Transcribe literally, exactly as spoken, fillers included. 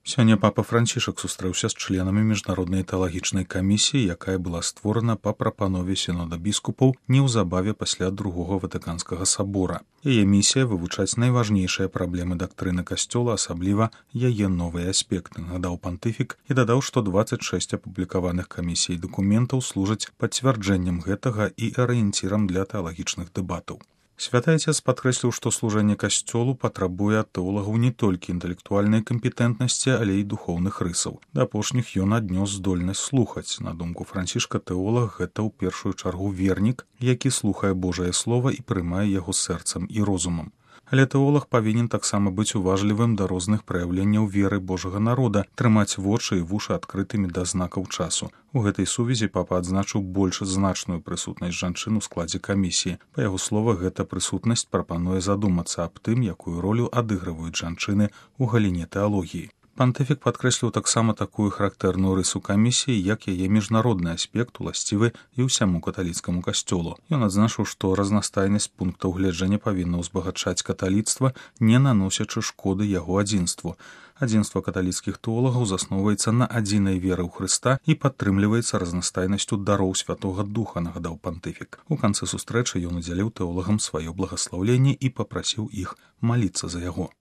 Сёння папа Францішак сустрэўся з членамі міжнароднай тэалагічнай камісіі, якая была створана па прапанове сінода біскупаў неўзабаве пасля другога ватыканскага сабора. Яе місія вывучаць найважнейшыя праблемы дактрыны касцёла, асабліва яе новыя аспекты, нагадаў пантыфік і дадаў, што дваццаць шэсць апублікаваных камісій дакументаў служаць пацвярджэннем гэтага і арыенцірам для тэалагічных дэбатаў. Святы Ацец падкрэсліў, што служэнне касцёлу патрабуе ад тэолагаў не толькі інтэлектуальнай кампетэнтнасці, але і духоўных рысаў. Да апошніх ён аднёс здольнасць слухаць. На думку Францішка, тэолаг гэта ў першую чаргу вернік, які слухае Божае слова і прымае яго сэрцам і розумам. Але тэолаг павінен таксама быць уважлівым да розных праяўленняў веры Божага народа, трымаць вочы і вушы адкрытымі да знакаў часу. У гэтай сувязі папа адзначыў больш значную прысутнасць жанчын у складзе камісіі. Па яго словах, гэта прысутнасць прапануе задумацца аб тым, якую ролю адыгрываюць жанчыны ў галіне тэалогіі. Пантыфік падкрэсліў таксама такую характэрную рысу камісіі, як яе міжнародны аспект, уласцівы і ўсяму каталіцкаму касцёлу. Ён адзначыў, што разнастайнасць пунктаў гледжання павінна ўзбагачаць каталіцтва, не наносячы шкоды яго адзінству. Адзінства каталіцкіх тэолагаў засноўваецца на адзінай веры ў Хрыста і падтрымліваецца разнастайнасцю дароў Святога Духа, нагадаў пантыфік. У канцы сустрэчы ён удзяліў тэолагам сваё благаслаўленне і папрасіў іх маліцца за яго.